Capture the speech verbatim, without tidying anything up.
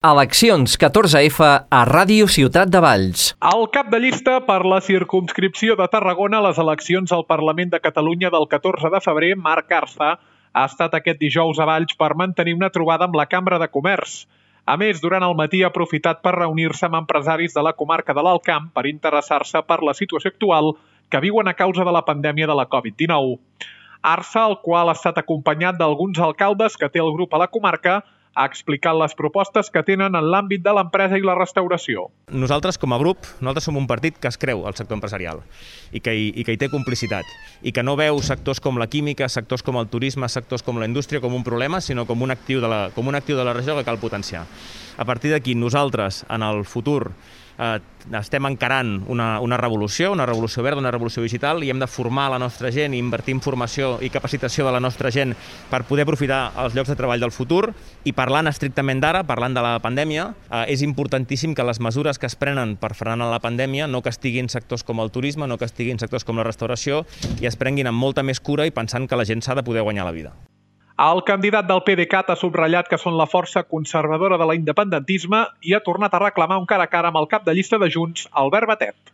Eleccions catorze efa a Ràdio Ciutat de Valls. El cap de llista per la circumscripció de Tarragona a les eleccions al Parlament de Catalunya del catorze de febrer, Marc Arza, ha estat aquest dijous a Valls per mantenir una trobada amb la Cambra de Comerç. A més, durant el matí ha aprofitat per reunir-se amb empresaris de la comarca de l'Alt Camp per interessar-se per la situació actual que viuen a causa de la pandèmia de la covid dinou. Arza, el qual ha estat acompanyat d'alguns alcaldes que té el grup a la comarca, ha explicat les propostes que tenen en l'àmbit de l'empresa i la restauració. Nosaltres, com a grup, nosaltres som un partit que es creu al sector empresarial i que, hi, i que hi té complicitat i que no veu sectors com la química, sectors com el turisme, sectors com la indústria com un problema, sinó com un actiu de la, com un actiu de la regió que cal potenciar. A partir d'aquí, nosaltres, en el futur, eh, estem encarant una, una revolució, una revolució verda, una revolució digital, i hem de formar la nostra gent i invertir en formació i capacitació de la nostra gent per poder aprofitar els llocs de treball del futur. I parlant estrictament d'ara, parlant de la pandèmia, eh, és importantíssim que les mesures que es prenen per frenar la pandèmia no castiguin sectors com el turisme, no castiguin sectors com la restauració i es prenguin amb molta més cura i pensant que la gent s'ha de poder guanyar la vida. El candidat del PDeCAT ha subratllat que són la força conservadora de l'independentisme i ha tornat a reclamar un cara a cara amb el cap de llista de Junts, Albert Batet.